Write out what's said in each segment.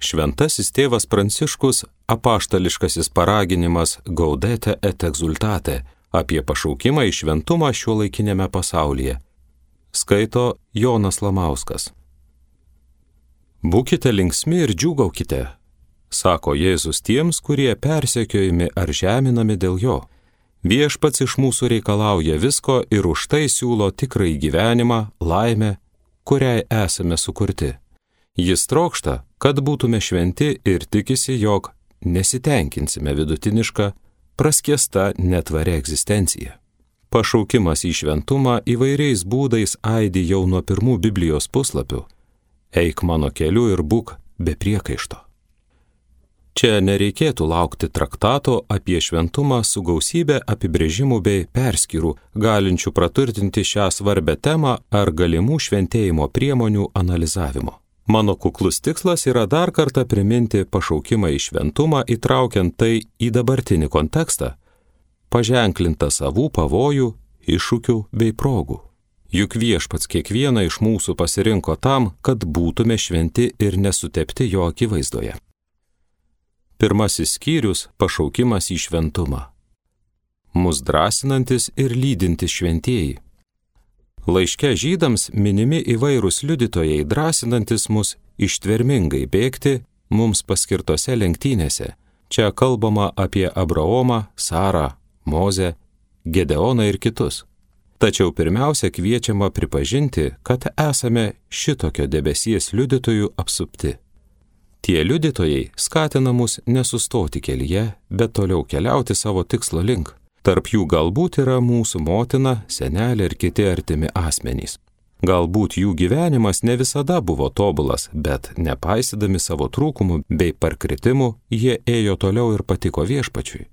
Šventasis tėvas Pranciškus apaštališkasis paraginimas Gaudete et exultate apie pašaukimą į šventumą šiuolaikinėme pasaulyje. Skaito Jonas Lamauskas. Būkite linksmi ir džiūgaukite, sako Jėzus tiems, kurie persekiojami ar žeminami dėl jo. Viešpats iš mūsų reikalauja visko ir už tai siūlo tikrąjį gyvenimą, laimę, kuriai esame sukurti. Jis trokšta, kad būtume šventi ir tikisi, jog nesitenkinsime vidutinišką, praskiesta netvaria egzistencija. Pašaukimas į šventumą įvairiais būdais aidi jau nuo pirmų Biblijos puslapių. Eik mano keliu ir būk be priekaišto. Čia nereikėtų laukti traktato apie šventumą su gausybė apibrėžimų bei perskyrų, galinčių praturtinti šią svarbę temą ar galimų šventėjimo priemonių analizavimo. Mano kuklus tikslas yra dar kartą priminti pašaukimą į šventumą, įtraukiant tai į dabartinį kontekstą, paženklintą savų pavojų, iššūkių bei progų. Juk Viešpats kiekvieną iš mūsų pasirinko tam, kad būtume šventi ir nesutepti jo akivaizdoje. Pirmasis skyrius – pašaukimas į šventumą. Mus drąsinantis ir lydintis šventieji. Laiške Žydams minimi įvairūs liudytojai, drąsinantis mus ištvermingai bėgti mums paskirtose lenktynėse. Čia kalbama apie Abraomą, Sarą, Mozę, Gedeoną ir kitus. Tačiau pirmiausia kviečiama pripažinti, kad esame šitokio debesies liudytojų apsupti. Tie liudytojai skatina mus nesustoti kelyje, bet toliau keliauti savo tikslo link. Tarp jų galbūt yra mūsų motina, senelė ir kiti artimi asmenys. Galbūt jų gyvenimas ne visada buvo tobulas, bet nepaisydami savo trūkumų bei parkritimų, jie ėjo toliau ir patiko Viešpačiui.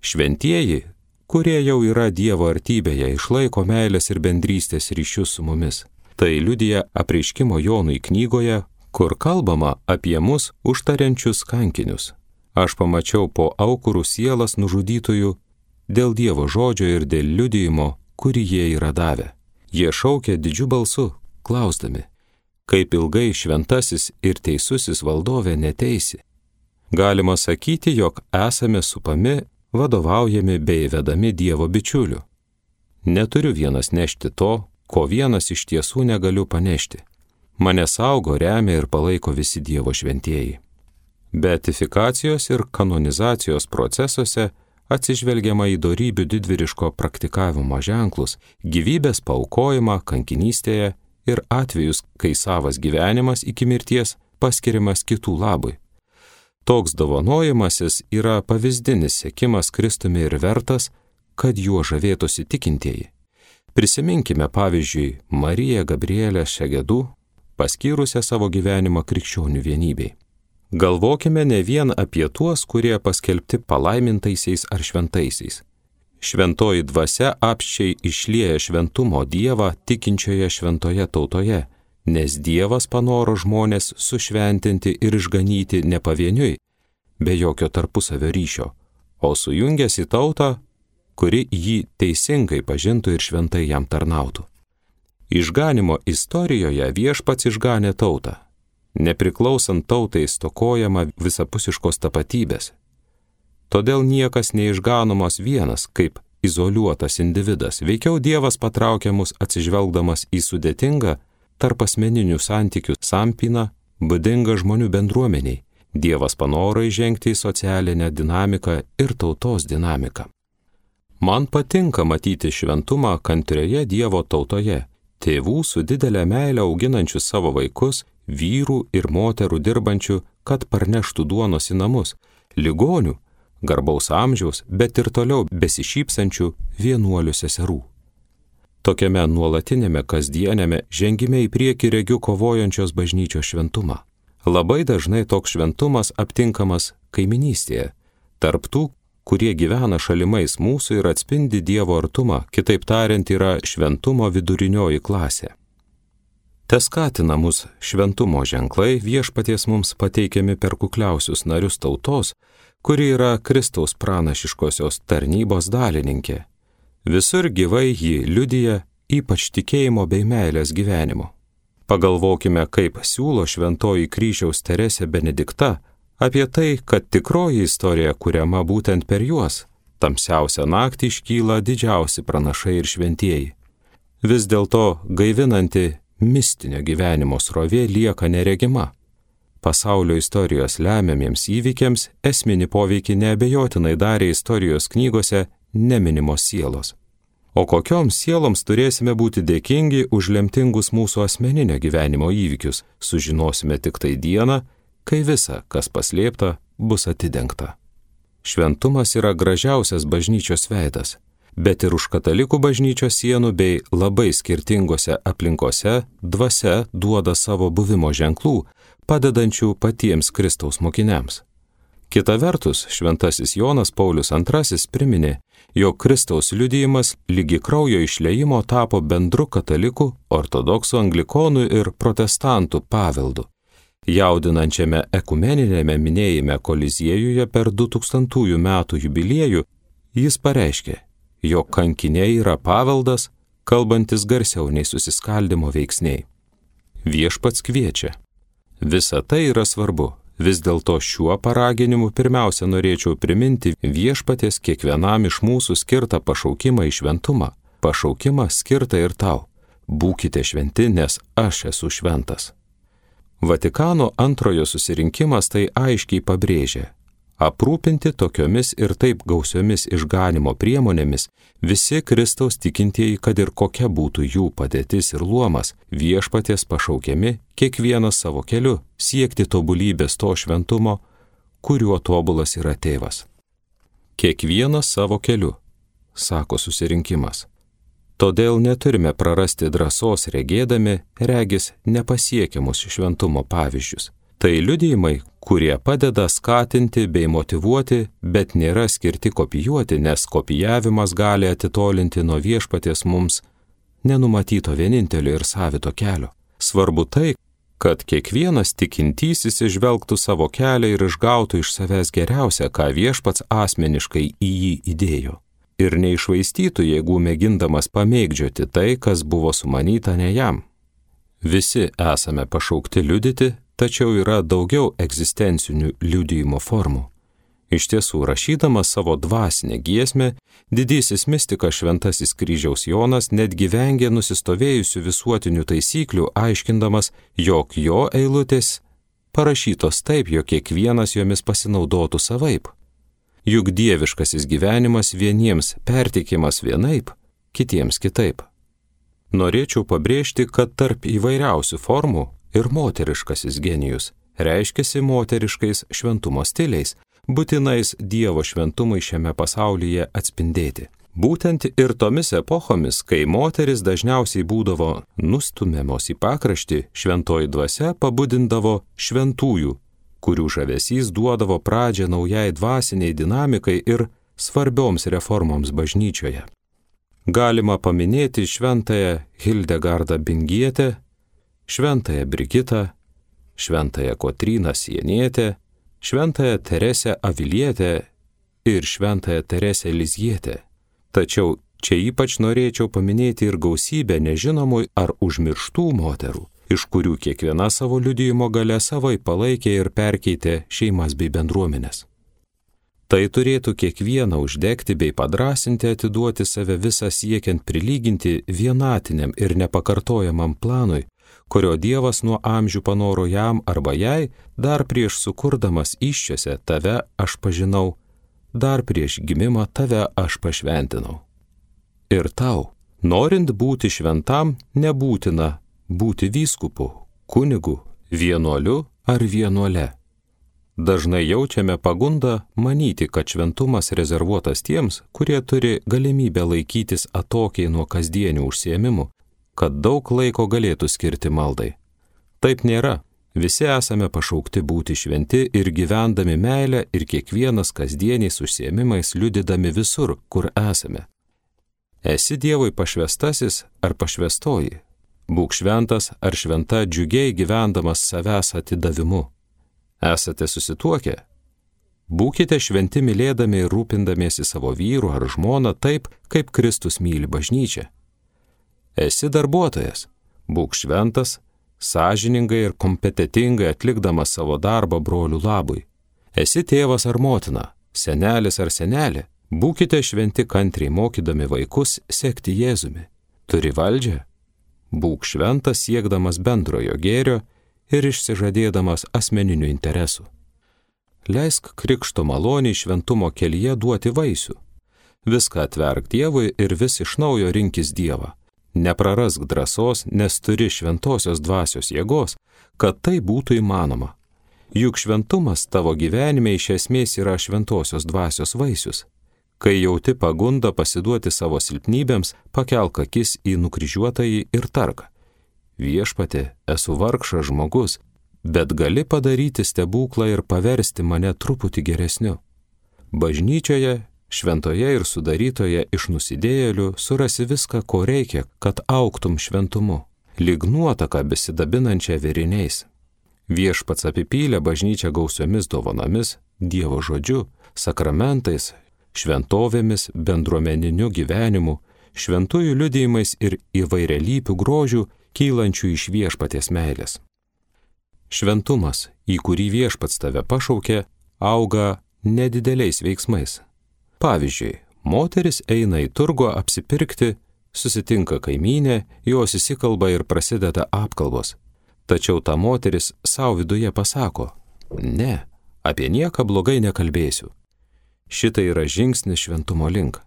Šventieji, kurie jau yra Dievo artybėje, išlaiko meilės ir bendrystės ryšius su mumis. Tai liudija Apreiškimo Jonui knygoje, kur kalbama apie mus užtariančius kankinius. Aš pamačiau po aukurų sielas nužudytųjų dėl Dievo žodžio ir dėl liudijimo, kurį jie yra davę. Jie šaukia didžiu balsu, klausdami, kaip ilgai šventasis ir teisusis valdovė neteisi. Galima sakyti, jog esame supami, vadovaujami bei vedami Dievo bičiulių. Neturiu vienas nešti to, ko vienas iš tiesų negaliu panešti. Mane saugo, remia ir palaiko visi Dievo šventieji. Beatifikacijos ir kanonizacijos procesuose atsižvelgiama į dorybių didvyriško praktikavimo ženklus, gyvybės paaukojimą kankinystėje ir atvejus, kai savas gyvenimas iki mirties paskiriamas kitų labui. Toks dovanojimasis yra pavyzdinis sekimas Kristumi ir vertas, kad juo žavėtųsi tikintieji. Prisiminkime pavyzdžiui Mariją Gabrielę Šegedų, paskyrusią savo gyvenimą krikščionių vienybei. Galvokime ne vien apie tuos, kurie paskelbti palaimintaisiais ar šventaisiais. Šventoji dvasia apsčiai išlieja šventumo Dievą tikinčioje šventoje tautoje, nes Dievas panoro žmonės sušventinti ir išganyti ne pavieniui, be jokio tarpusavio ryšio, o sujungęs į tautą, kuri jį teisingai pažintų ir šventai jam tarnautų. Išganimo istorijoje Viešpats išganė tautą. Nepriklausant tautai stokojama visapusiškos tapatybės. Todėl niekas neišganomas vienas kaip izoliuotas individas, veikiau Dievas patraukia mus atsižvelgdamas į sudėtingą tarp asmeninių santykių sampyną, būdingą žmonių bendruomeniai. Dievas panoro įžengti į socialinę dinamiką ir tautos dinamiką. Man patinka matyti šventumą kantrioje Dievo tautoje, tėvų su didelė meile auginančių savo vaikus, vyrų ir moterų dirbančių, kad parneštų duonos į namus, ligonių, garbaus amžiaus, bet ir toliau besišypsančių vienuolių seserų. Tokiame nuolatinėme kasdienėme žengime į priekį regiu kovojančios bažnyčios šventumą. Labai dažnai toks šventumas aptinkamas kaiminystėje, tarp tų, kurie gyvena šalimais mūsų ir atspindi Dievo artumą, kitaip tariant, yra šventumo vidurinioji klasė. Teskatina mus šventumo ženklai Viešpaties mums pateikiami per kukliausius narius tautos, kuri yra Kristaus pranašiškosios tarnybos dalininkė. Visur gyvai jį liudija, ypač tikėjimo bei meilės gyvenimo. Pagalvokime, kaip siūlo šventoji kryžiaus Teresė Benedikta apie tai, kad tikroji istorija kuriama būtent per juos. Tamsiausią naktį iškyla didžiausi pranašai ir šventieji. Vis dėlto gaivinanti mistinio gyvenimo srovė lieka neregima. Pasaulio istorijos lemiamiems įvykiams esminį poveikį neabejotinai darė istorijos knygose neminimos sielos. O kokioms sieloms turėsime būti dėkingi už lemtingus mūsų asmeninio gyvenimo įvykius, sužinosime tik tai dieną, kai visa, kas paslėpta, bus atidengta. Šventumas yra gražiausias bažnyčios veidas, bet ir už katalikų bažnyčios sienų bei labai skirtingose aplinkose dvasia duoda savo buvimo ženklų, padedančių patiems Kristaus mokiniams. Kita vertus, šventasis Jonas Paulius II priminė, jog Kristaus liudijimas lygi kraujo išliejimo tapo bendru katalikų, ortodoksų, anglikonų ir protestantų paveldu. Jaudinančiame ekumeninėme minėjime Koliziejuje per 2000 metų jubiliejų jis pareiškė, jog kankiniai yra paveldas, kalbantis garsiau nei susiskaldimo veiksniai. Viešpats kviečia. Visa tai yra svarbu. Vis dėlto šiuo paraginimu pirmiausia norėčiau priminti viešpaties kiekvienam iš mūsų skirtą pašaukimą į šventumą. Pašaukimą skirtą ir tau. Būkite šventi, nes aš esu šventas. Vatikano antrojo susirinkimas tai aiškiai pabrėžė. Aprūpinti tokiomis ir taip gausiomis išganimo priemonėmis visi Kristaus tikintieji, kad ir kokia būtų jų padėtis ir luomas, viešpaties pašaukiami kiekvienas savo keliu siekti tobulybės to šventumo, kuriuo tobulas yra tėvas. Kiekvienas savo keliu, sako susirinkimas. Todėl neturime prarasti drąsos regėdami, regis nepasiekiamus šventumo pavyzdžius. Tai liudijimai, kurie padeda skatinti bei motyvuoti, bet nėra skirti kopijuoti, nes kopijavimas gali atitolinti nuo viešpaties mums nenumatyto vienintelio ir savito kelio. Svarbu tai, kad kiekvienas tikintysis išvelgtų savo kelią ir išgautų iš savęs geriausia, ką viešpats asmeniškai į jį įdėjo. Ir neišvaistytų jėgų mėgindamas pamėgdžioti tai, kas buvo sumanyta ne jam. Visi esame pašaukti liudyti, tačiau yra daugiau egzistencinių liudijimo formų. Iš tiesų, rašydamas savo dvasinę giesmę, didysis mistikas šventasis kryžiaus Jonas netgi vengė nusistovėjusių visuotinių taisyklių, aiškindamas, jog jo eilutės parašytos taip, jog kiekvienas jomis pasinaudotų savaip. Juk dieviškasis gyvenimas vieniems perteikiamas vienaip, kitiems kitaip. Norėčiau pabrėžti, kad tarp įvairiausių formų ir moteriškasis genijus reiškiasi moteriškais šventumo stiliais, būtinais Dievo šventumui šiame pasaulyje atspindėti. Būtent ir tomis epochomis, kai moteris dažniausiai būdavo nustumiamos į pakraštį, šventoji dvasia pabudindavo šventųjų, kurių žavesys duodavo pradžią naujai dvasiniai dinamikai ir svarbioms reformoms bažnyčioje. Galima paminėti šventąją Hildegardą Bingietę, šventąją Brigitą, šventąją Kotryną Sienietę, šventąją Teresę Avilietę ir šventąją Teresę Lizjietę. Tačiau čia ypač norėčiau paminėti ir gausybę nežinomų ar užmirštų moterų, iš kurių kiekviena savo liudijimo gale savai palaikė ir perkeitė šeimas bei bendruomenės. Tai turėtų kiekvieną uždegti bei padrasinti atiduoti save visą siekiant prilyginti vienatiniam ir nepakartojamam planui, kurio Dievas nuo amžių panoro jam arba jai, dar prieš sukurdamas įsčiose tave aš pažinau, dar prieš gimimą tave aš pašventinau. Ir tau, norint būti šventam, nebūtina būti vyskupu, kunigu, vienuoliu ar vienuole. Dažnai jaučiame pagundą manyti, kad šventumas rezervuotas tiems, kurie turi galimybę laikytis atokiai nuo kasdienių užsiėmimų, kad daug laiko galėtų skirti maldai. Taip nėra. Visi esame pašaukti būti šventi ir gyvendami meilę ir kiekvienas kasdieniais užsiėmimais liudydami visur, kur esame. Esi Dievui pašvestasis ar pašvestoji. Būk šventas ar šventa džiugiai gyvendamas savęs atidavimu. Esate susituokę? Būkite šventi mylėdami ir rūpindamiesi savo vyru ar žmona taip, kaip Kristus myli bažnyčią. Esi darbuotojas? Būk šventas, sąžiningai ir kompetentingai atlikdamas savo darbą brolių labui. Esi tėvas ar motina, senelis ar senelė, būkite šventi kantriai mokydami vaikus sekti Jėzumi. Turi valdžią? Būk šventas siekdamas bendrojo gėrio ir išsižadėdamas asmeninių interesų. Leisk krikšto maloniai šventumo kelyje duoti vaisių. Viską atverk Dievui ir vis iš naujo rinkis Dievą. Neprarask drąsos, nes turi šventosios dvasios jėgos, kad tai būtų įmanoma. Juk šventumas tavo gyvenime iš esmės yra šventosios dvasios vaisius. Kai jauti pagundą pasiduoti savo silpnybėms, pakelk akis į nukryžiuotąjį ir tark: Viešpatie, esu vargšas žmogus, bet gali padaryti stebuklą ir paversti mane truputį geresniu. Bažnyčioje, šventoje ir sudarytoje iš nusidėjėlių surasi viską, ko reikia, kad augtum šventumu, lyg nuotaka besidabinančia vėriniais. Viešpats apipylė bažnyčią gausiomis dovanomis, Dievo žodžiu, sakramentais, šventovėmis, bendruomeniniu gyvenimu, šventųjų liudijimais ir įvairialypių grožių, kylančių iš viešpaties meilės. Šventumas, į kurį viešpats tave pašaukė, auga nedideliais veiksmais. Pavyzdžiui, moteris eina į turgų apsipirkti, susitinka kaimynė, jos įsikalba ir prasideda apkalbos. Tačiau ta moteris savo viduje pasako: ne, apie nieką blogai nekalbėsiu. Šitai yra žingsnis šventumo link.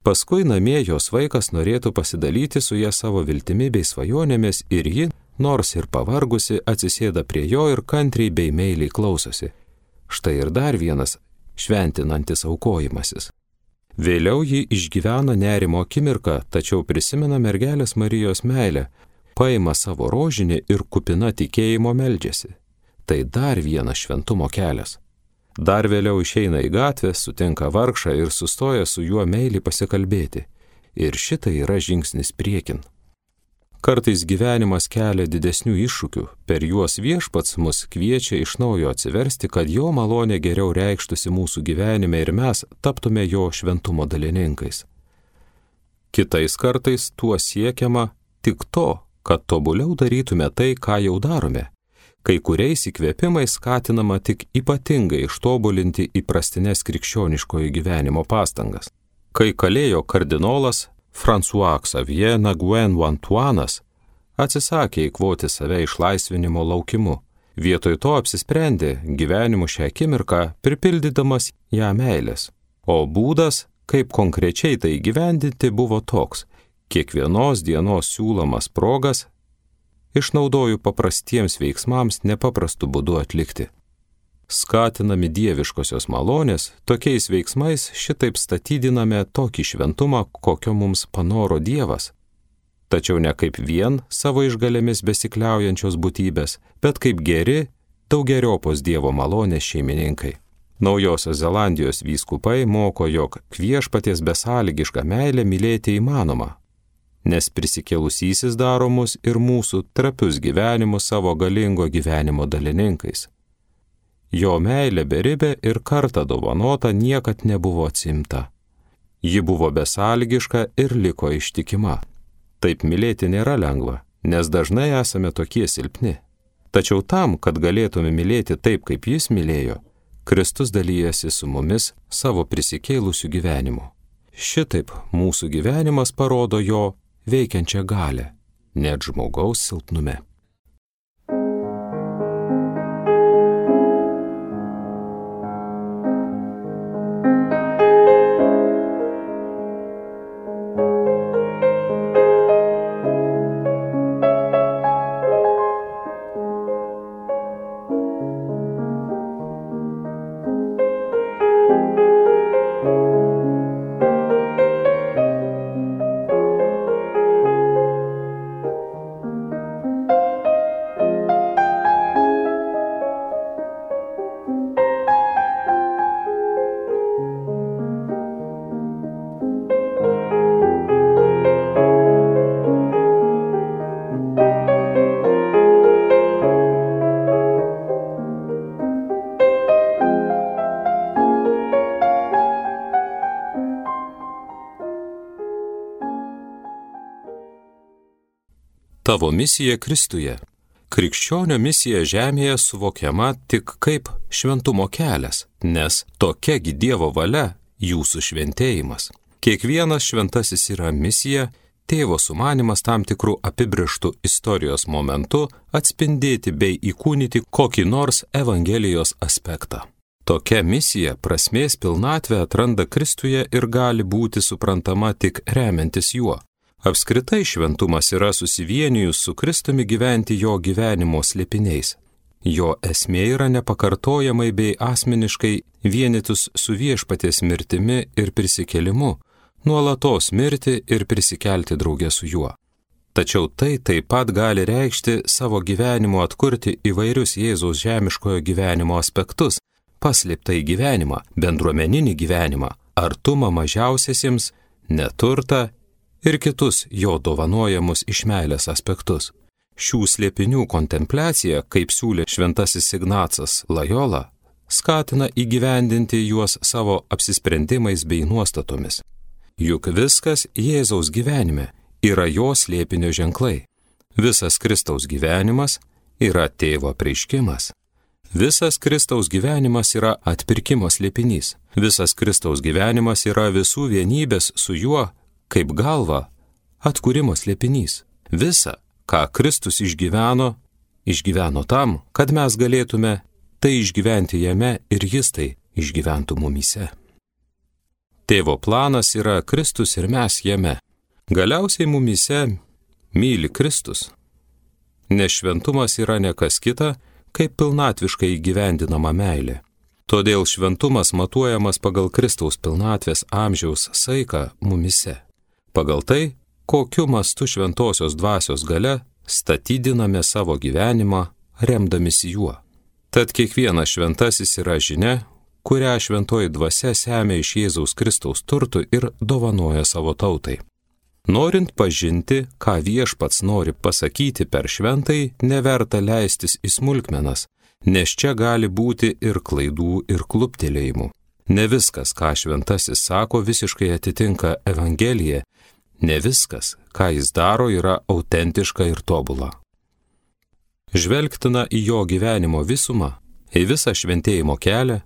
Paskui namie jos vaikas norėtų pasidalyti su ja savo viltimi bei svajonėmis ir ji, nors ir pavargusi, atsisėda prie jo ir kantriai bei meiliai klausosi. Štai ir dar vienas šventinantis aukojimasis. Vėliau ji išgyvena nerimo akimirką, tačiau prisimena mergelės Marijos meilę, paima savo rožinį ir kupina tikėjimo meldžiasi. Tai dar vienas šventumo kelias. Dar vėliau išeina į gatvę, sutinka vargšą ir sustoja su juo meiliai pasikalbėti. Ir šitai yra žingsnis priekin. Kartais gyvenimas kelia didesnių iššūkių, per juos viešpats mus kviečia iš naujo atsiversti, kad jo malonė geriau reikštųsi mūsų gyvenime ir mes taptume jo šventumo dalininkais. Kitais kartais tuo siekiama tik to, kad tobuliau darytume tai, ką jau darome. Kai kuriais įkvėpimais skatinama tik ypatingai ištobulinti įprastines krikščioniškojo gyvenimo pastangas. Kai kalėjo kardinolas François Xavier Naguen Wantuanas atsisakė įkvoti save išlaisvinimo laukimu, vietoj to apsisprendė gyvenimu šią akimirką, pripildydamas ją meilės. O būdas, kaip konkrečiai tai įgyvendinti, buvo toks: kiekvienos dienos siūlomas progas išnaudoju paprastiems veiksmams nepaprastu būdu atlikti. Skatinami dieviškosios malonės, tokiais veiksmais šitaip statydiname tokį šventumą, kokio mums panoro Dievas. Tačiau ne kaip vien savo išgalėmis besikliaujančios būtybės, bet kaip geri, daugeriopos Dievo malonės šeimininkai. Naujosios Zelandijos vyskupai moko, jog viešpaties besąlygišką meilę mylėti įmanoma, nes prisikėlusysis daro mus ir mūsų trapius gyvenimus savo galingo gyvenimo dalininkais. Jo meilė beribė ir kartą dovanota niekad nebuvo atsimta. Ji buvo besąlygiška ir liko ištikima. Taip mylėti nėra lengva, nes dažnai esame tokie silpni. Tačiau tam, kad galėtume mylėti taip, kaip jis mylėjo, Kristus dalyjasi su mumis savo prisikėlusiu gyvenimu. Šitaip mūsų gyvenimas parodo jo veikiančią galią, net žmogaus silpnume. Tavo misija Kristuje. Krikščionio misija žemėje suvokiama tik kaip šventumo kelias, nes tokiagi Dievo valia jūsų šventėjimas. Kiekvienas šventasis yra misija, Tėvo sumanimas tam tikrų apibrėžtų istorijos momentu atspindėti bei įkūnyti kokį nors Evangelijos aspektą. Tokia misija prasmės pilnatvę atranda Kristuje ir gali būti suprantama tik remiantis juo. Apskritai šventumas yra susivienijus su Kristumi gyventi jo gyvenimo slėpiniais. Jo esmė yra nepakartojamai bei asmeniškai vienytus su viešpaties mirtimi ir prisikėlimu, nuolatos mirti ir prisikelti drauge su juo. Tačiau tai taip pat gali reikšti savo gyvenimu atkurti įvairius Jėzaus žemiškojo gyvenimo aspektus, paslėptąjį gyvenimą, bendruomeninį gyvenimą, artumą mažiausiesiems, neturtą ir kitus jo dovanojamus iš meilės aspektus. Šių slėpinių kontempliacija, kaip siūlė šventasis Ignacas Lojola, skatina įgyvendinti juos savo apsisprendimais bei nuostatomis. Juk viskas Jėzaus gyvenime yra jo slėpinio ženklai. Visas Kristaus gyvenimas yra Tėvo apreiškimas. Visas Kristaus gyvenimas yra atpirkimo slėpinys. Visas Kristaus gyvenimas yra visų vienybės su juo kaip galva atkūrimo slėpinys. Visa, ką Kristus išgyveno tam, kad mes galėtume tai išgyventi jame ir jis tai išgyventų mumyse. Tėvo planas yra Kristus ir mes jame. Galiausiai mumyse myli Kristus. Nes šventumas yra ne kas kita, kaip pilnatviškai įgyvendinama meilė. Todėl šventumas matuojamas pagal Kristaus pilnatvės amžiaus saiką mumyse. Pagal tai, kokiu mastu šventosios dvasios galia statydiname savo gyvenimą, remdamisi juo. Tad kiekvienas šventasis yra žinia, kurią šventoji dvasia semia iš Jėzaus Kristaus turtų ir dovanoja savo tautai. Norint pažinti, ką viešpats nori pasakyti per šventai, neverta leistis į smulkmenas, nes čia gali būti ir klaidų, ir kluptelėjimų. Ne viskas, ką šventasis sako, visiškai atitinka Evangeliją, ne viskas, ką jis daro, yra autentiška ir tobula. Žvelgtina į jo gyvenimo visumą, į visą šventėjimo kelią,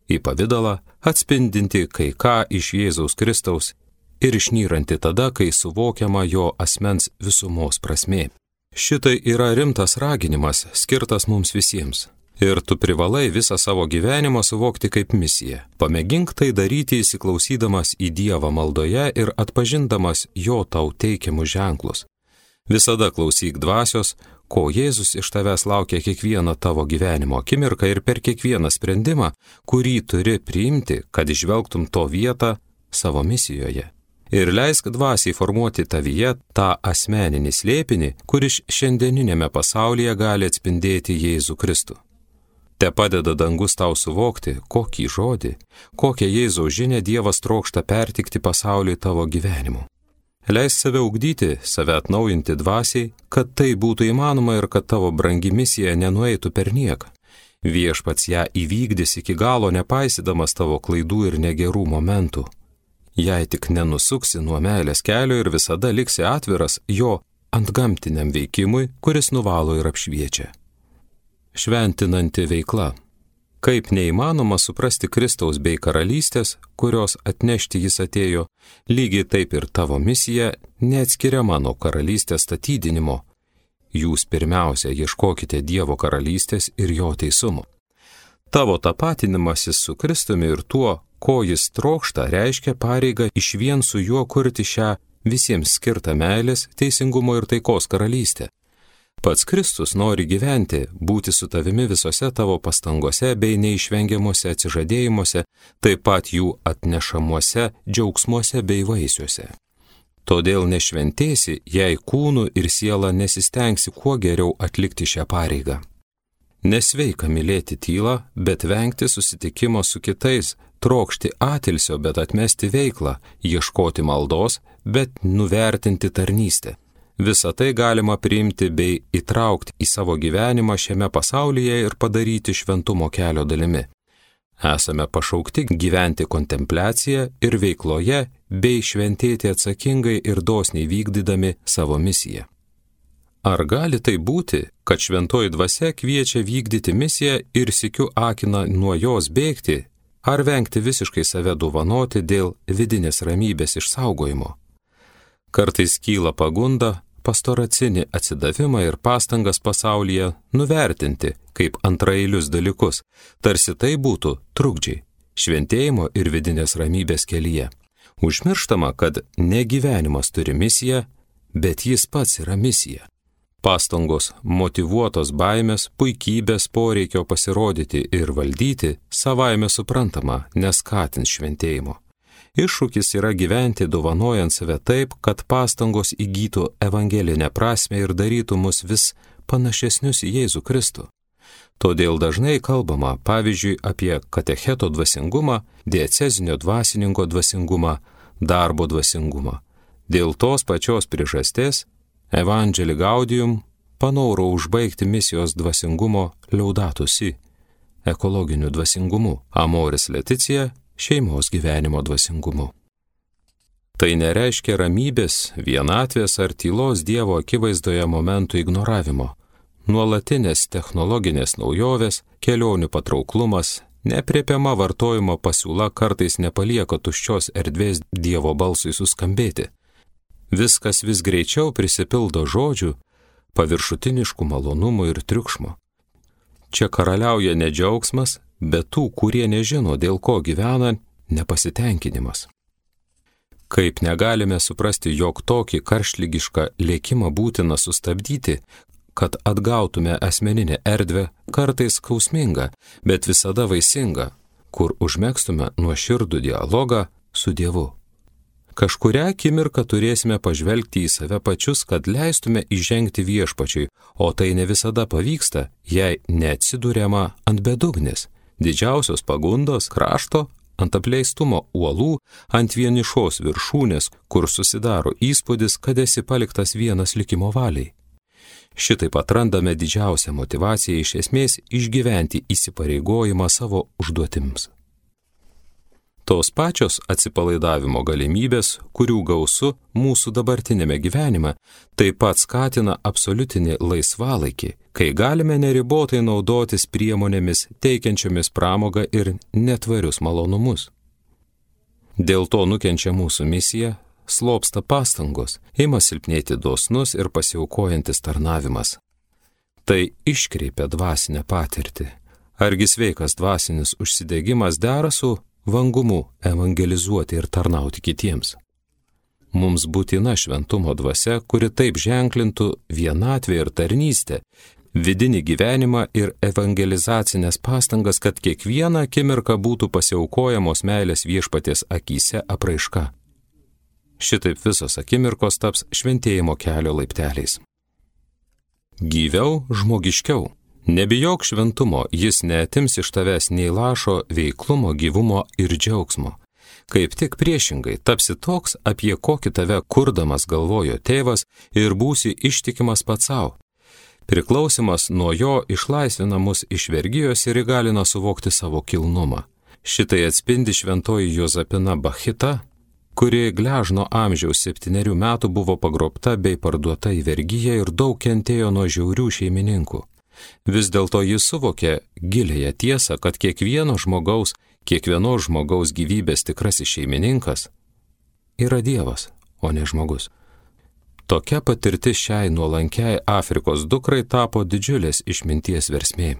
į pavidalą, atspindinti kai ką iš Jėzaus Kristaus ir išnyranti tada, kai suvokiama jo asmens visumos prasmė. Šitai yra rimtas raginimas, skirtas mums visiems. Ir tu privalai visą savo gyvenimą suvokti kaip misiją. Pamėgink tai daryti įsiklausydamas į Dievą maldoje ir atpažindamas jo tau teikiamus ženklus. Visada klausyk dvasios, ko Jėzus iš tavęs laukia kiekvieną tavo gyvenimo akimirką ir per kiekvieną sprendimą, kurį turi priimti, kad išvelgtum to vietą savo misijoje. Ir leisk dvasiai formuoti tavyje tą asmeninį slėpinį, kuris šiandieninėme pasaulyje gali atspindėti Jėzų Kristų. Te padeda dangus tau suvokti, kokį žodį, kokią Jėzaus žinią Dievas trokšta pertikti pasauliui tavo gyvenimu. Leisk save ugdyti, save atnaujinti dvasiai, kad tai būtų įmanoma ir kad tavo brangi misija nenueitų per nieką. Viešpats ją įvykdys iki galo, nepaisydamas tavo klaidų ir negerų momentų. Jei tik nenusuksi nuo meilės kelio ir visada liksi atviras jo antgamtiniam veikimui, kuris nuvalo ir apšviečia. Šventinanti veikla. Kaip neįmanoma suprasti Kristaus bei karalystės, kurios atnešti jis atėjo, lygiai taip ir tavo misija neatskiriama nuo karalystės statydinimo. Jūs pirmiausia ieškokite Dievo karalystės ir jo teisumo. Tavo tapatinimasis su Kristumi ir tuo, ko jis trokšta, reiškia pareigą išvien su juo kurti šią visiems skirtą meilės, teisingumo ir taikos karalystę. Pats Kristus nori gyventi, būti su tavimi visose tavo pastangose bei neišvengiamuose atsižadėjimuose, taip pat jų atnešamuose džiaugsmuose bei vaisiuose. Todėl nešventėsi, jei kūnu ir siela nesistengsi kuo geriau atlikti šią pareigą. Nesveika mylėti tylą, bet vengti susitikimo su kitais, trokšti atilsio, bet atmesti veiklą, ieškoti maldos, bet nuvertinti tarnystę. Visą tai galima priimti bei įtraukti į savo gyvenimą šiame pasaulyje ir padaryti šventumo kelio dalimi. Esame pašaukti gyventi kontempliaciją ir veikloje bei šventėti atsakingai ir dosniai vykdydami savo misiją. Ar gali tai būti, kad šventoji dvasia kviečia vykdyti misiją ir sykiu akina nuo jos bėgti, ar vengti visiškai save dovanoti dėl vidinės ramybės išsaugojimo? Kartais kyla pagunda pastoracinį atsidavimą ir pastangas pasaulyje nuvertinti kaip antraeilius dalykus, tarsi tai būtų trukdžiai šventėjimo ir vidinės ramybės kelyje. Užmirštama, kad ne gyvenimas turi misiją, bet jis pats yra misija. Pastangos motyvuotos baimės, puikybės poreikio pasirodyti ir valdyti savaime suprantama neskatins šventėjimo. Iššūkis yra gyventi dovanojant save taip, kad pastangos įgytų evangelinę prasmę ir darytų mus vis panašesnius į Jėzų Kristų. Todėl dažnai kalbama, pavyzdžiui, apie katecheto dvasingumą, diecezinio dvasininko dvasingumą, darbo dvasingumą. Dėl tos pačios priežasties Evangelii Gaudium panoro užbaigti misijos dvasingumo Laudato Si, ekologiniu dvasingumu, Amoris Laetitia šeimos gyvenimo dvasingumu. Tai nereiškia ramybės, vienatvės ar tylos Dievo akivaizdoje momentų ignoravimo. Nuolatinės technologinės naujovės, kelionių patrauklumas, nepriepiama vartojimo pasiūla kartais nepalieka tuščios erdvės Dievo balsui suskambėti. Viskas vis greičiau prisipildo žodžių, paviršutiniškų malonumų ir triukšmo. Čia karaliauja ne džiaugsmas, bet tų, kurie nežino, dėl ko gyvena, nepasitenkinimas. Kaip negalime suprasti, jog tokį karštligišką lėkimą būtina sustabdyti, kad atgautume asmeninę erdvę, kartais skausmingą, bet visada vaisingą, kur užmegztume nuoširdų dialogą su Dievu. Kažkurią akimirką turėsime pažvelgti į save pačius, kad leistume įžengti viešpačiui, o tai ne visada pavyksta, jei neatsidūrėma ant bedugnės, didžiausios pagundos krašto, ant apleistumo uolų, ant vienišos viršūnės, kur susidaro įspūdis, kad esi paliktas vienas likimo valiai. Šitaip atrandame didžiausią motyvaciją iš esmės išgyventi įsipareigojimą savo užduotims. Tos pačios atsipalaidavimo galimybės, kurių gausu mūsų dabartinėme gyvenime, taip pat skatina absoliutinį laisvalaikį, kai galime neribotai naudotis priemonėmis teikiančiomis pramogą ir netvarius malonumus. Dėl to nukenčia mūsų misija, slopsta pastangos, ima silpnėti dosnus ir pasiaukojantis tarnavimas. Tai iškreipia dvasinę patirtį. Argi sveikas dvasinis užsidegimas dera su vangumu evangelizuoti ir tarnauti kitiems? Mums būtina šventumo dvasia, kuri taip ženklintų vienatvę ir tarnystę, vidinį gyvenimą ir evangelizacinės pastangas, kad kiekvieną akimirką būtų pasiaukojamos meilės viešpaties akyse apraiška. Šitaip visos akimirkos taps šventėjimo kelio laipteliais. Gyviau, žmogiškiau. Nebijok šventumo, jis neatims iš tavęs nei lašo veiklumo, gyvumo ir džiaugsmo. Kaip tik priešingai, tapsi toks, apie kokį tave kurdamas galvojo tėvas ir būsi ištikimas pats savo. Priklausimas nuo jo išlaisvina mus iš vergijos ir įgalina suvokti savo kilnumą. Šitai atspindi šventoji Jozapina Bachita, kuri gležno amžiaus 7 metų buvo pagrobta bei parduota į vergiją ir daug kentėjo nuo žiaurių šeimininkų. Vis dėlto jis suvokė giliąją tiesą, kad kiekvienos žmogaus gyvybės tikrasis šeimininkas yra Dievas, o ne žmogus. Tokia patirtis šiai nuolankiai Afrikos dukrai tapo didžiulės išminties versmė.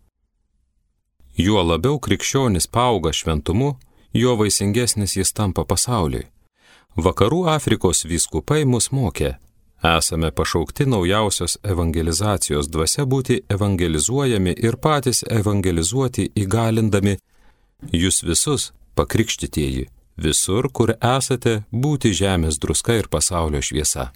Juo labiau krikščionis paauga šventumu, juo vaisingesnis jis tampa pasauliui. Vakarų Afrikos vyskupai mus mokė, esame pašaukti naujausios evangelizacijos dvasia būti evangelizuojami ir patys evangelizuoti įgalindami jūs visus, pakrikštytieji, visur, kur esate, būti žemės druska ir pasaulio šviesa.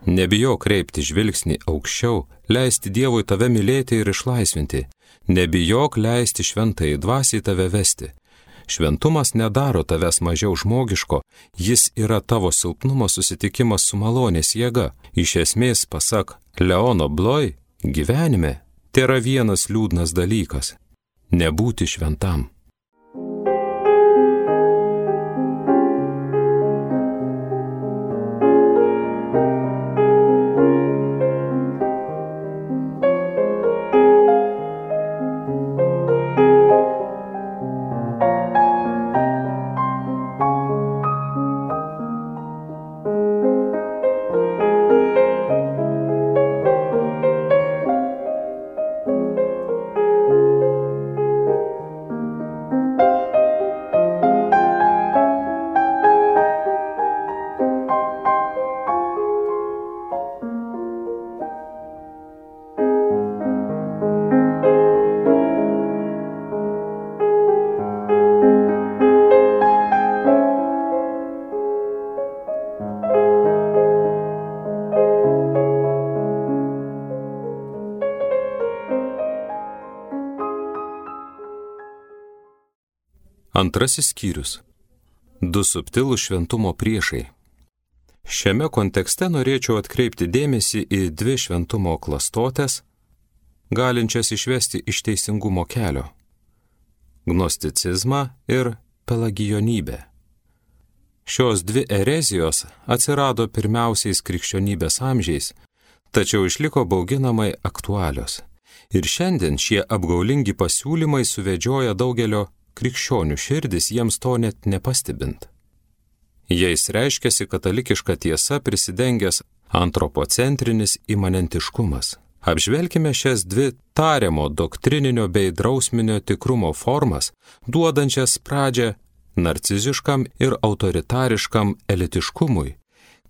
Nebijok kreipti žvilgsnį aukščiau, leisti Dievui tave mylėti ir išlaisvinti. Nebijok leisti šventai dvasiai tave vesti. Šventumas nedaro tavęs mažiau žmogiško, jis yra tavo silpnumo susitikimas su malonės jėga. Iš esmės, pasak Leono Bloy, gyvenime tėra vienas liūdnas dalykas – nebūti šventam. Antrasis skyrius. Du subtilūs šventumo priešai. Šiame kontekste norėčiau atkreipti dėmesį į dvi šventumo klastotės, galinčias išvesti iš teisingumo kelio – gnosticizmą ir pelagijonybę. Šios dvi erezijos atsirado pirmiausiais krikščionybės amžiais, tačiau išliko bauginamai aktualios. Ir šiandien šie apgaulingi pasiūlymai suvedžioja daugelio krikščionių širdis, jiems to net nepastebint. Jais reiškiasi katalikiška tiesa prisidengęs antropocentrinis imanentiškumas. Apžvelkime šias dvi tariamo doktrininio bei drausminio tikrumo formas, duodančias pradžią narciziškam ir autoritariškam elitiškumui,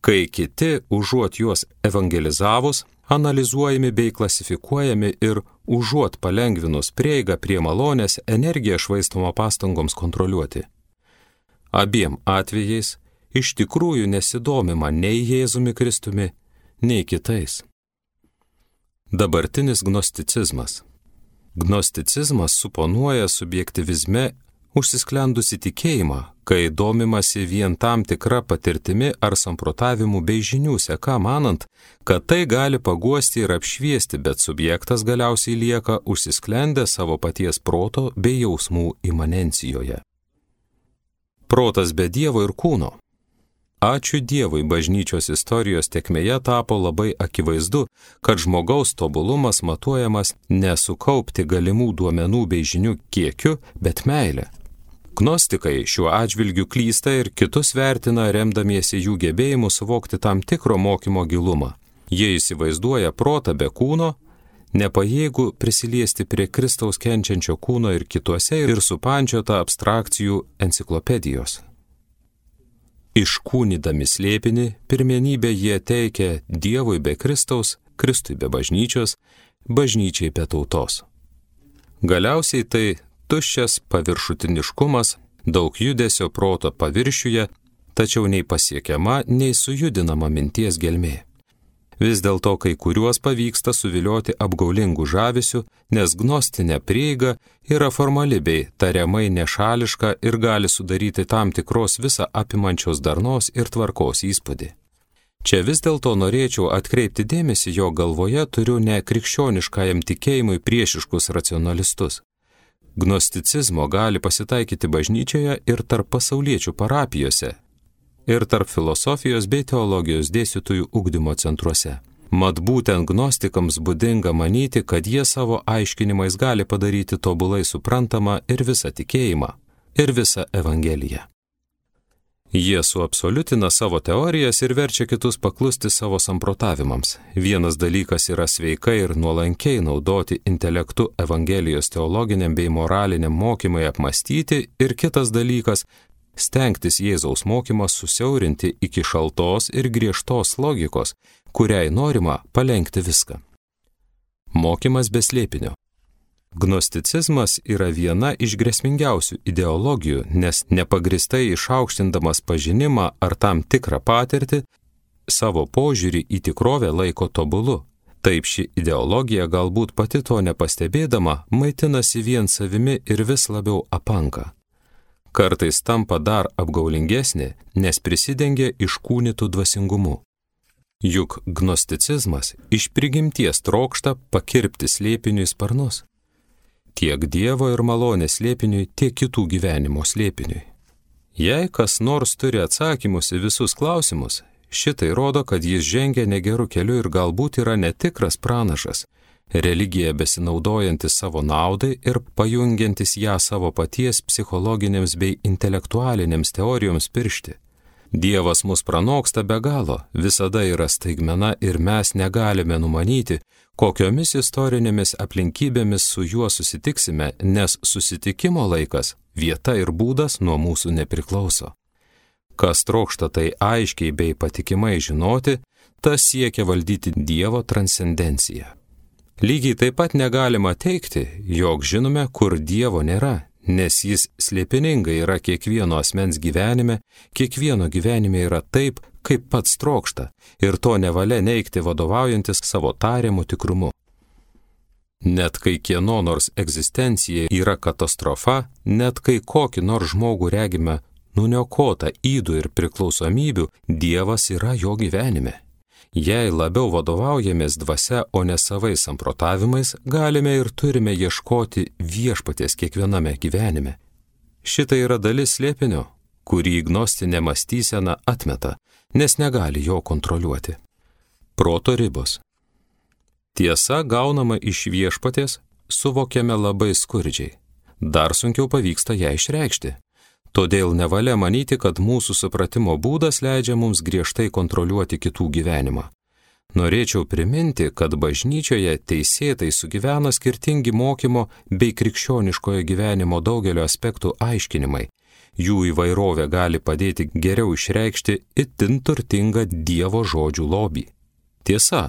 kai kiti, užuot juos evangelizavus, analizuojami bei klasifikuojami ir užuot palengvinus prieigą prie malonės, energija švaistoma pastangoms kontroliuoti. Abiem atvejais iš tikrųjų nesidomima nei Jėzumi Kristumi, nei kitais. Dabartinis gnosticizmas. Gnosticizmas suponuoja subjektyvizme užsisklendusi tikėjimą, kai domimasi vien tam tikra patirtimi ar samprotavimu bei žinių seka, manant, kad tai gali paguosti ir apšviesti, bet subjektas galiausiai lieka užsisklendęs savo paties proto bei jausmų imanencijoje. Protas be Dievo ir kūno. Ačiū Dievui, bažnyčios istorijos tėkmėje tapo labai akivaizdu, kad žmogaus tobulumas matuojamas nesukaupti galimų duomenų bei žinių kiekiu, bet meile. Gnostikai šiuo atžvilgiu klysta ir kitus vertina remdamiesi jų gebėjimu suvokti tam tikro mokymo gilumą. Jie įsivaizduoja protą be kūno, nepajėgų prisiliesti prie Kristaus kenčiančio kūno ir kituose ir supančiota abstrakcijų enciklopedijos. Iškūnydami slėpinį, pirmenybę jie teikia Dievui be Kristaus, Kristui be bažnyčios, bažnyčiai be tautos. Galiausiai tai tuščias paviršutiniškumas, daug judesio proto paviršiuje, tačiau nei pasiekiama, nei sujudinama minties gelmė. Vis dėlto kai kuriuos pavyksta suvilioti apgaulingų žavesių, nes gnostinė prieiga yra formali bei tariamai nešališka ir gali sudaryti tam tikros visą apimančios darnos ir tvarkos įspūdį. Čia vis dėlto norėčiau atkreipti dėmesį, jo galvoje turiu ne krikščioniškajam tikėjimui priešiškus racionalistus. Gnosticizmo gali pasitaikyti bažnyčioje ir tarp pasauliečių parapijose, ir tarp filosofijos bei teologijos dėstytojų ugdymo centruose. Mat būtent gnostikams būdinga manyti, kad jie savo aiškinimais gali padaryti tobulai suprantamą ir visą tikėjimą, ir visą evangeliją. Jie suabsoliutina savo teorijas ir verčia kitus paklusti savo samprotavimams. Vienas dalykas yra sveikai ir nuolankiai naudoti intelektu evangelijos teologiniam bei moraliniam mokymui apmastyti, ir kitas dalykas stengtis Jėzaus mokymą susiaurinti iki šaltos ir griežtos logikos, kuriai norima palenkti viską. Mokymas be slėpinio. Gnosticizmas yra viena iš grėsmingiausių ideologijų, nes nepagristai išaukštindamas pažinimą ar tam tikrą patirtį, savo požiūrį į tikrovę laiko tobulu. Taip ši ideologija galbūt pati to nepastebėdama maitinasi vien savimi ir vis labiau apanka. Kartais tampa dar apgaulingesnė, nes prisidengia iškūnytų dvasingumu. Juk gnosticizmas iš prigimties trokšta pakirpti slėpiniui sparnus. Tiek Dievo ir malonės slėpiniui, tiek kitų gyvenimo slėpiniui. Jei kas nors turi atsakymus į visus klausimus, šitai rodo, kad jis žengia negeru keliu ir galbūt yra netikras pranašas, religija besinaudojantis savo naudai ir pajungiantis ją savo paties psichologinėms bei intelektualinėms teorijoms piršti. Dievas mus pranoksta be galo, visada yra staigmena ir mes negalime numanyti, kokiomis istorinėmis aplinkybėmis su juo susitiksime, nes susitikimo laikas, vieta ir būdas nuo mūsų nepriklauso. Kas trokšta tai aiškiai bei patikimai žinoti, tas siekia valdyti Dievo transcendenciją. Lygiai taip pat negalima teigti, jog žinome, kur Dievo nėra, nes jis slėpiningai yra kiekvieno asmens gyvenime, kiekvieno gyvenime yra taip, kaip pats trokšta, ir to nevalia neigti vadovaujantis savo tariamu tikrumu. Net kai kieno nors egzistencija yra katastrofa, net kai kokį nors žmogų regime nuniokotą ydų ir priklausomybių, Dievas yra jo gyvenime. Jei labiau vadovaujamės dvasia, o ne savais samprotavimais, galime ir turime ieškoti viešpaties kiekviename gyvenime. Šitai yra dalis slėpinio, kurį gnostinė mąstysena atmeta, nes negali jo kontroliuoti. Proto ribos. Tiesa gaunama iš viešpaties, suvokiame labai skurdžiai. Dar sunkiau pavyksta ją išreikšti. Todėl nevalia manyti, kad mūsų supratimo būdas leidžia mums griežtai kontroliuoti kitų gyvenimą. Norėčiau priminti, kad bažnyčioje teisėtai sugyvena skirtingi mokymo bei krikščioniškojo gyvenimo daugelio aspektų aiškinimai. Jų įvairovė gali padėti geriau išreikšti itin turtingą Dievo žodžių lobį. Tiesa,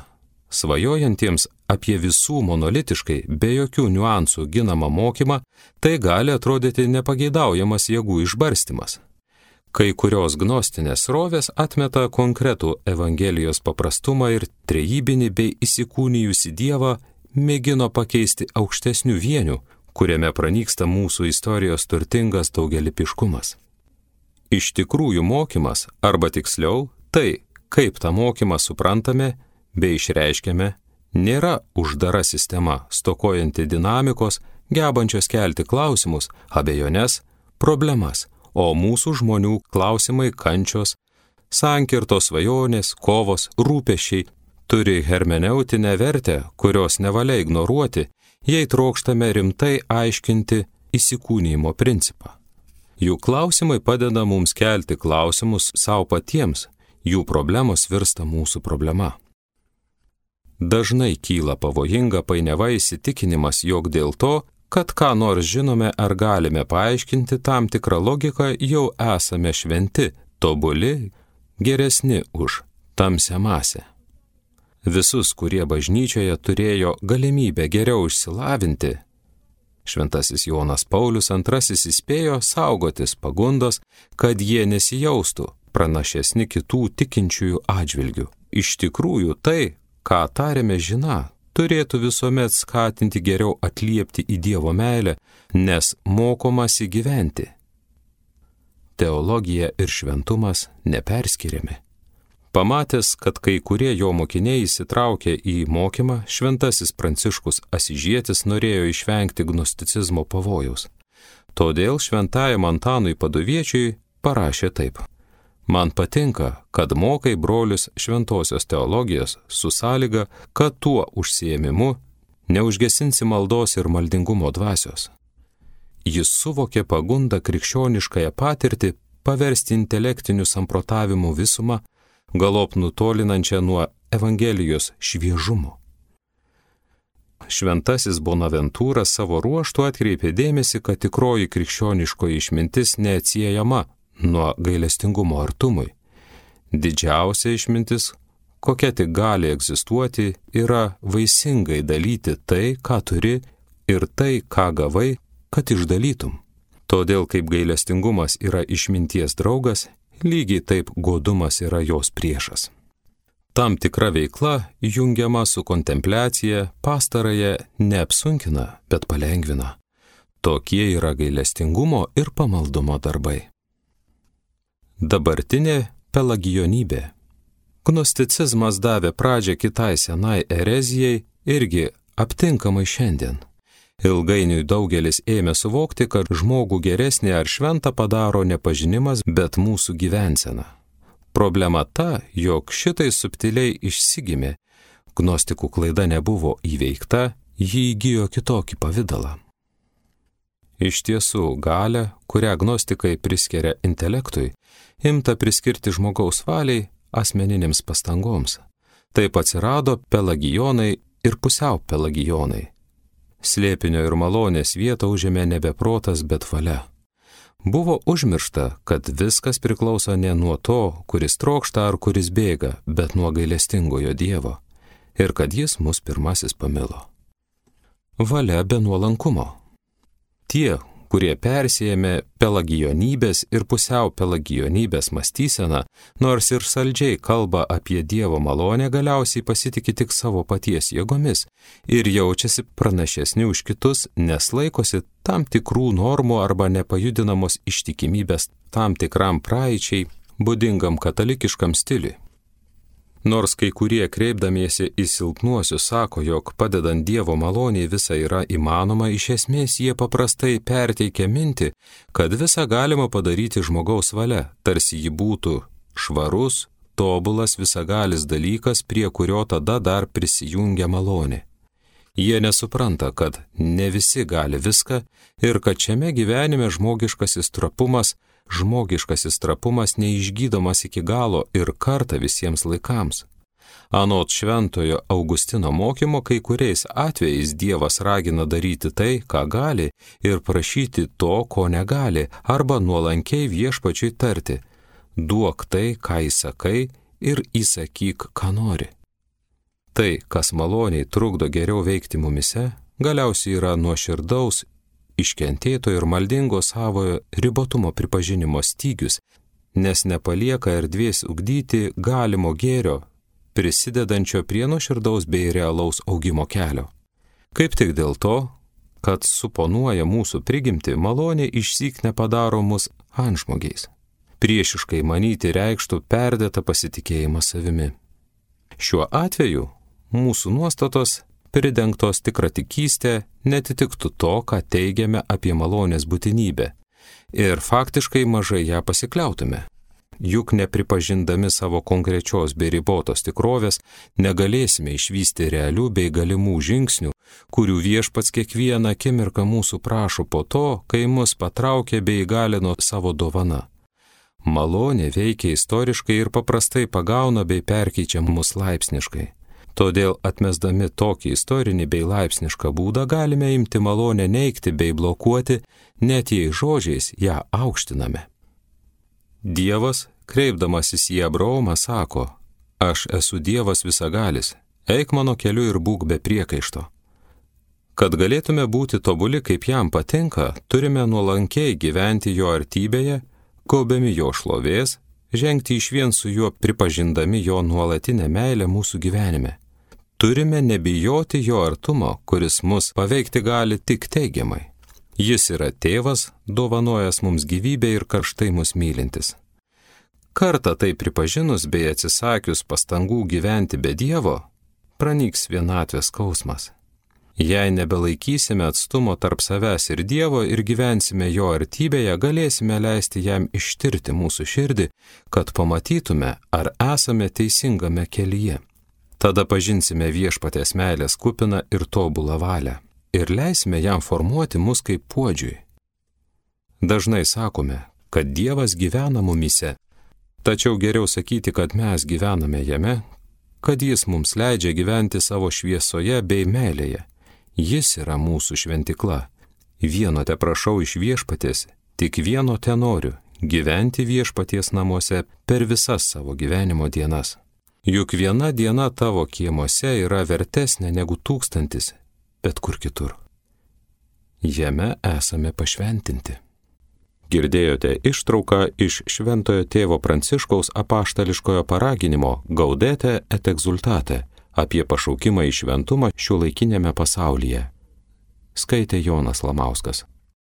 svajojantiems apie visų monolitiškai, be jokių niuansų ginamą mokymą, tai gali atrodyti nepageidaujamas jėgų išbarstymas. Kai kurios gnostinės srovės atmeta konkretų Evangelijos paprastumą ir trejybinį bei įsikūnijusį Dievą mėgino pakeisti aukštesnių vienių, kuriame pranyksta mūsų istorijos turtingas daugelypiškumas. Iš tikrųjų mokymas, arba tiksliau, tai, kaip tą mokymą suprantame bei išreiškiame, nėra uždara sistema, stokojanti dinamikos, gebančios kelti klausimus, abejones, problemas, o mūsų žmonių klausimai, kančios, sankirtos, svajonės, kovos, rūpesčiai turi hermeneutinę vertę, kurios nevalia ignoruoti, jei trokštame rimtai aiškinti įsikūnijimo principą. Jų klausimai padeda mums kelti klausimus savo patiems, jų problemos virsta mūsų problema. Dažnai kyla pavojinga painiava įsitikinimas, jog dėl to, kad ką nors žinome ar galime paaiškinti tam tikrą logiką, jau esame šventi, tobuli, geresni už tamsią masę. Visus, kurie bažnyčioje turėjo galimybę geriau išsilavinti, Šventasis Jonas Paulius II įspėjo saugotis pagundos, kad jie nesijaustų pranašesni kitų tikinčiųjų atžvilgių. Iš tikrųjų tai, ką tariame žiną, turėtų visuomet skatinti geriau atliepti į Dievo meilę, nes mokomasi gyventi. Teologija ir šventumas neperskiriami. Pamatęs, kad kai kurie jo mokiniai įsitraukė į mokymą, Šventasis Pranciškus Asyžietis norėjo išvengti gnosticizmo pavojaus. Todėl šventajam Antanui Paduviečiui parašė taip: Man patinka, kad mokai brolius šventosios teologijos su sąlyga, kad tuo užsiėmimu neužgesinsi maldos ir maldingumo dvasios. Jis suvokė pagundą krikščioniškąją patirtį paversti intelektinių samprotavimų visumą, galop nutolinančią nuo Evangelijos šviežumo. Šventasis Bonaventūras savo ruožtu atkreipė dėmesį, kad tikroji krikščioniškoji išmintis neatsiejama nuo gailestingumo artumui. Didžiausia išmintis, kokia tik gali egzistuoti, yra vaisingai dalyti tai, ką turi, ir tai, ką gavai, kad išdalytum. Todėl kaip gailestingumas yra išminties draugas, lygiai taip godumas yra jos priešas. Tam tikra veikla, jungiama su kontempliacija, pastarąją neapsunkina, bet palengvina. Tokie yra gailestingumo ir pamaldumo darbai. Dabartinė pelagijonybė. Gnosticizmas davė pradžią kitai senai erezijai, irgi aptinkamai šiandien. Ilgainiui daugelis ėmė suvokti, kad žmogų geresnį ar šventą padaro ne pažinimas, bet mūsų gyvensena. Problema ta, jog šitai subtiliai išsigimė, gnostikų klaida nebuvo įveikta, ji įgijo kitokį pavidalą. Iš tiesų, galią, kurią gnostikai priskiria intelektui, imta priskirti žmogaus valiai, asmeninėms pastangoms. Taip atsirado pelagijonai ir pusiau pelagijonai. Slėpinio ir malonės vietą užėmė nebe protas, bet valia. Buvo užmiršta, kad viskas priklauso ne nuo to, kuris trokšta ar kuris bėga, bet nuo gailestingojo Dievo, ir kad jis mus pirmasis pamilo. Valia be nuolankumo. Tie, kurie persijėmė pelagijonybės ir pusiau pelagijonybės mąstyseną, nors ir saldžiai kalba apie Dievo malonę, galiausiai pasitikė tik savo paties jėgomis ir jaučiasi pranašesni už kitus, nes laikosi tam tikrų normų arba nepajudinamos ištikimybės tam tikram praeičiai, būdingam katalikiškam stiliui. Nors kai kurie kreipdamiesi į silpnuosius sako, jog padedant Dievo maloniai visa yra įmanoma, iš esmės jie paprastai perteikia mintį, kad visa galima padaryti žmogaus valia, tarsi ji būtų švarus, tobulas, visagalis dalykas, prie kurio tada dar prisijungia malonė. Jie nesupranta, kad ne visi gali viską ir kad šiame gyvenime žmogiškasis trapumas neišgydomas iki galo ir kartą visiems laikams. Anot šventojo Augustino mokymo, kai kuriais atvejais Dievas ragina daryti tai, ką gali, ir prašyti to, ko negali, arba nuolankiai viešpačiui tarti: duok tai, ką įsakai, ir įsakyk, ką nori. Tai, kas maloniai trukdo geriau veikti mumise, galiausiai yra nuoširdaus, iškentėto ir maldingo savojo ribotumo pripažinimo stygius, nes nepalieka erdvės ugdyti galimo gėrio, prisidedančio prie nuoširdaus bei realaus augimo kelio. Kaip tik dėl to, kad suponuoja mūsų prigimtį, malonė išsyk nepadaro mus antžmogiais. Priešiškai manyti reikštų perdėtą pasitikėjimą savimi. Šiuo atveju mūsų nuostatos, pridengtos tikratikystė, netitiktų to, ką teigiame apie malonės būtinybę, ir faktiškai mažai ją pasikliautume. Juk nepripažindami savo konkrečios bei ribotos tikrovės, negalėsime išvysti realių bei galimų žingsnių, kurių viešpats kiekvieną akimirką mūsų prašo po to, kai mus patraukė bei įgalino savo dovana. Malonė veikia istoriškai ir paprastai pagauna bei perkeičia mus laipsniškai. Todėl atmesdami tokį istorinį bei laipsnišką būdą galime imti malonę neigti bei blokuoti, net jei žodžiais ją aukštiname. Dievas, kreipdamasis į Abraomą, sako: aš esu Dievas visagalis, eik mano keliu ir būk be priekaišto. Kad galėtume būti tobuli, kaip jam patinka, turime nuolankiai gyventi jo artybėje, gaubdami jo šlovės, žengti išvien su juo pripažindami jo nuolatinę meilę mūsų gyvenime. Turime nebijoti jo artumo, kuris mus paveikti gali tik teigiamai. Jis yra tėvas, dovanojęs mums gyvybę ir karštai mus mylintis. Kartą tai pripažinus bei atsisakius pastangų gyventi be Dievo, pranyks vienatvės skausmas. Jei nebelaikysime atstumo tarp savęs ir Dievo ir gyvensime jo artybėje, galėsime leisti jam ištirti mūsų širdį, kad pamatytume, ar esame teisingame kelyje. Tada pažinsime viešpaties meilės kupiną ir tobulą valią ir leisime jam formuoti mus kaip puodžiui. Dažnai sakome, kad Dievas gyvena mumyse, tačiau geriau sakyti, kad mes gyvename jame, kad jis mums leidžia gyventi savo šviesoje bei meilėje. Jis yra mūsų šventikla. Vieno te prašau iš viešpaties, tik vieno te noriu – gyventi viešpaties namuose per visas savo gyvenimo dienas. Juk viena diena tavo kiemuose yra vertesnė negu 1000, bet kur kitur. Jame esame pašventinti. Girdėjote ištrauką iš Šventojo tėvo Pranciškaus apaštališkojo paraginimo Gaudete et exultate apie pašaukimą į šventumą šiuolaikiniame pasaulyje. Skaitė Jonas Lamauskas.